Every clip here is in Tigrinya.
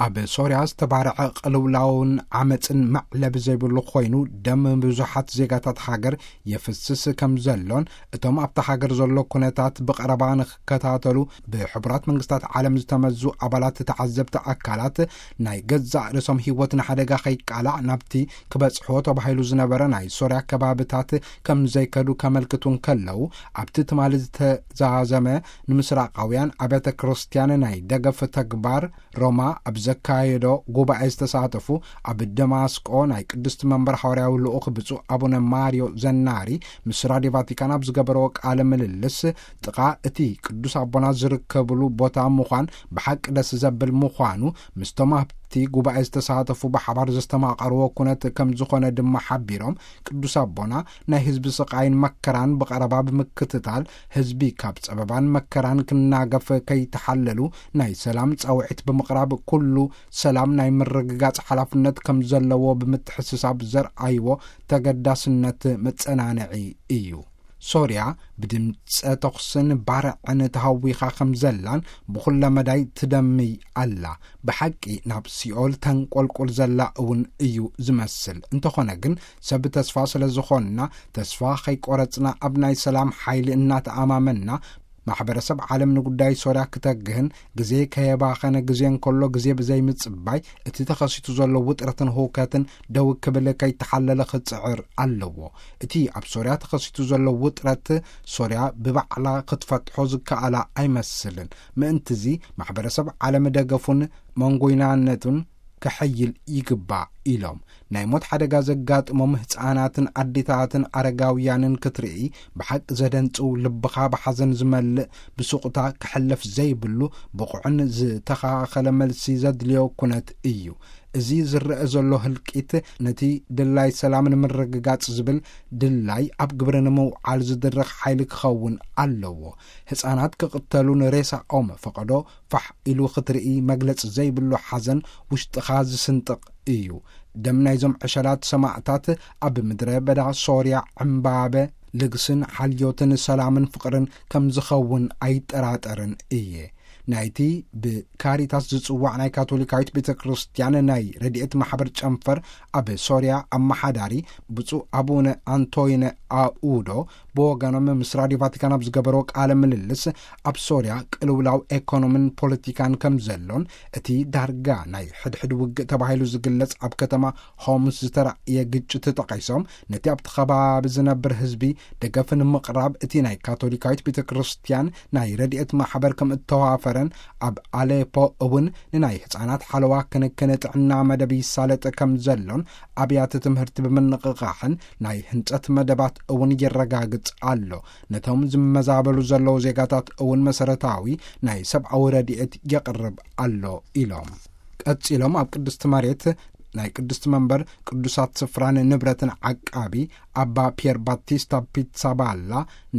ኣብ ሶርያ ዝተባረዐ ቅልውላውን ዓመፅን መዕለቢ ዘይብሉ ኮይኑ፣ ደም ብዙሓት ዜጋታት ሃገር የፍስስ ከም ዘሎን፣ እቶም ኣብታ ሃገር ዘሎ ኩነታት ብቐረባ ንክከታተሉ ብሕቡራት መንግስታት ዓለም ዝተመዙ ኣባላት ተዓዘብቲ ኣካላት፣ ናይ ገዛእ ርእሶም ህይወት ንሓደጋ ከይቃላዕ ናብቲ ክበጽሖ ተባሂሉ ዝነበረ ናይ ሶርያ ከባብታት ከም ዘይከዱ ከመልክቱ እንከለዉ፣ ኣብቲ ትማሊ ዝተዛዘመ ንምስራቃውያን ኣብያተ ክርስቲያን ናይ ደገፍ ተግባር ሮማ ኣብ ዘካየዶ ጉባኤ ዝተሳተፉ፣ ኣብ ደማስቆ ናይ ቅድስቲ መንበር ሓዋርያዊ ልኡኽ ብፁዕ ኣቡነ ማርዮ ዘናሪ ምስ ራድዮ ቫቲካን ኣብ ዝገበርዎ ቃለ ምልልስ፣ ጥቓ እቲ ቅዱስ ኣቦና ዝርከብሉ ቦታ ምዃን ብሓቂ ደስ ዘብል ምዃኑ፣ ምስቶም ኣብቲ ጉባኤ ዝተሳተፉ ብሓባር ዘስተማቐርዎ ኩነት ከም ዝኾነ ድማ ሓቢሮም፣ ቅዱስ ኣቦና ናይ ህዝቢ ስቓይን መከራን ብቐረባ ብምክትታል፣ ህዝቢ ካብ ጸበባን መከራን ክናገፍ ከይተሓለሉ ናይ ሰላም ጻውዒት ብምቕራብ፣ ኩሉ ሰላም ናይ ምርግጋጽ ሓላፍነት ከም ዘለዎ ብምትሕስሳብ ዘርኣይዎ ተገዳስነት መጸናንዒ እዩ። ሶርያ ብድምጸ ተኹስን ባርዕን ተሃዊኻ ከም ዘላን ብኹለ መዳይ ትደምይ ኣላ። ብሓቂ ናብ ሲኦል ተንቆልቁል ዘላ እውን እዩ ዝመስል። እንተኾነ ግን ሰብ ተስፋ ስለ ዝኾንና፣ ተስፋ ከይቆረጽና ኣብ ናይ ሰላም ሓይሊ እናተኣማመንና፣ ማሕበረሰብ ዓለም ንጉዳይ ሶርያ ክተግህን ግዜ ከየባኸነ፣ ግዜ እንከሎ ግዜ ብዘይምጽባይ እቲ ተኸሲቱ ዘሎ ውጥረትን ህውከትን ደው ክብል ከይተሓለለ ክጽዕር ኣለዎ። እቲ ኣብ ሶርያ ተኸሲቱ ዘሎ ውጥረት ሶርያ ብባዕላ ክትፈትሖ ዝከኣላ ኣይመስልን። ምእንትዚ ማሕበረሰብ ዓለም ደገፉን መንጎይናነቱን ከሐይል ይግባእ ኢሎም። ናይ ሞት ሓደጋ ዘጋጥሞም ህፃናትን ኣዴታትን ኣረጋውያንን ክትርኢ ብሓቂ ዘደንጽው፣ ልብኻ ብሓዘን ዝመልእ፣ ብሱቕታ ክሕለፍ ዘይብሉ ብቑዕን ዝተኻኸለ መልሲ ዘድልዮ ኩነት እዩ። እዚ ዝረአ ዘሎ ህልቂት ነቲ ድላይ ሰላም ንምርግጋጽ ዝብል ድላይ ኣብ ግብሪ ንምውዓል ዝድርኽ ሓይሊ ክኸውን ኣለዎ። ህፃናት ክቕተሉን ሬሳኦም ፈቐዶ ፋሕ ኢሉ ክትርኢ መግለጺ ዘይብሉ ሓዘን ውሽጥኻ ዝስንጥቕ እዩ። ደም ናይዞም ዕሸላት ሰማእታት ኣብ ምድረ በዳ ሶርያ ዕምባበ ልግስን ሓልዮትን ሰላምን ፍቕርን ከም ዝኸውን ኣይጠራጠርን እየ። ናይቲ ብካሪታስ ዝጽዋዕ ናይ ካቶሊካዊት ቤተ ክርስቲያን ናይ ረድኤት ማሕበር ጨንፈር ኣብ ሶርያ ኣመሓዳሪ ብፁዕ ኣቡነ ኣንቶይነ ኣኡዶ ብወገኖም ምስ ራድዮ ቫቲካን ኣብ ዝገበርዎ ቃለ ምልልስ፣ ኣብ ሶርያ ቅልውላው ኤኮኖምን ፖለቲካን ከም ዘሎን፣ እቲ ዳርጋ ናይ ሕድሕድ ውግእ ተባሂሉ ዝግለጽ ኣብ ከተማ ሆምስ ዝተራእየ ግጭት ጠቒሶም፣ ነቲ ኣብቲ ከባቢ ዝነብር ህዝቢ ደገፍ ንምቕራብ እቲ ናይ ካቶሊካዊት ቤተ ክርስቲያን ናይ ረድኤት ማሕበር ከም እተዋፈረን፣ ኣብ ኣሌፖ እውን ንናይ ህጻናት ሓለዋ ክንክን ጥዕና መደብ ይሳለጥ ከም ዘሎን፣ ኣብያተ ትምህርቲ ብምንቕቓሕን ናይ ህንጸት መደባት እውን የረጋግጽ ኣሎ። ነቶም ዝመዛበሉ ዘለዉ ዜጋታት እውን መሰረታዊ ናይ ሰብኣዊ ረድኤት የቕርብ ኣሎ ኢሎም። ቀጺሎም ኣብ ቅድስቲ መሬት ናይ ቅድስቲ መንበር ቅዱሳት ስፍራን ንብረትን ዓቃቢ ኣባ ፒየር ባቲስታ ፒትሳባላ፣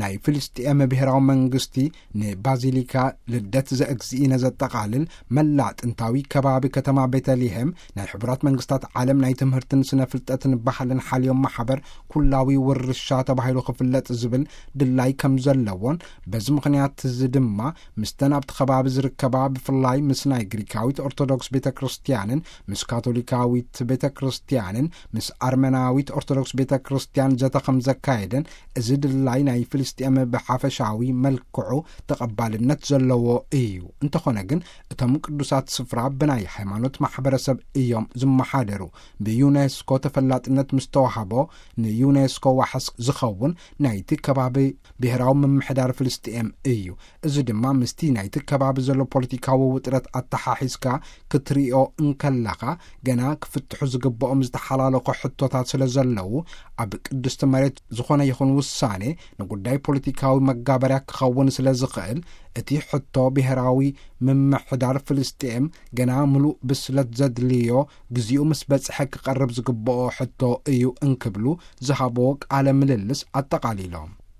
ናይ ፍልስጤም ብሔራዊ መንግስቲ ንባዚሊካ ልደት ዘእግዚእነ ዘጠቓልል መላእ ጥንታዊ ከባቢ ከተማ ቤተልሔም ናይ ሕቡራት መንግስታት ዓለም ናይ ትምህርትን ስነ ፍልጠትን ባህልን ሓልዮም ማሕበር ኩላዊ ውርሻ ተባሂሉ ክፍለጥ ዝብል ድላይ ከም ዘለዎን፣ በዚ ምኽንያት እዚ ድማ ምስተን ኣብቲ ከባቢ ዝርከባ፣ ብፍላይ ምስ ናይ ግሪካዊት ኦርቶዶክስ ቤተ ክርስቲያንን ምስ ካቶሊካዊት ቤተ ክርስቲያንን ምስ ኣርመናዊት ኦርቶዶክስ ቤተ ክርስቲያን ዘተ ከም ዘካየደን፣ እዚ ድላይ ናይ ፍልስጤም ብሓፈሻዊ መልክዑ ተቐባልነት ዘለዎ እዩ። እንተኾነ ግን፣ እቶም ቅዱሳት ስፍራ ብናይ ሃይማኖት ማሕበረሰብ እዮም ዝመሓደሩ። ብዩኔስኮ ተፈላጥነት ምስ ተዋህቦ፣ ንዩኔስኮ ዋሕስ ዝኸውን ናይቲ ከባቢ ብሔራዊ ምምሕዳር ፍልስጤም እዩ። እዚ ድማ ምስቲ ናይቲ ከባቢ ዘሎ ፖለቲካዊ ውጥረት ኣተሓሒዝካ ክትሪኦ እንከለኻ፣ ገና ክፍትሑ ዝግብኦም ዝተሓላለኹ ሕቶታት ስለ ዘለዉ፣ ኣብ ቅድስቲ መሬት ዝኾነ ይኹን ውሳኔ ንጉዳይ ፖለቲካዊ መጋበርያ ክኸውን ስለ ዝኽእል፣ እቲ ሕቶ ብሔራዊ ምምሕዳር ፍልስጤም ገና ምሉእ ብስለት ዘድልዮ፣ ግዜኡ ምስ በጽሐ ክቐርብ ዝግብኦ ሕቶ እዩ እንክብሉ ዝሃብዎ ቃለ ምልልስ ኣጠቓሊሎም።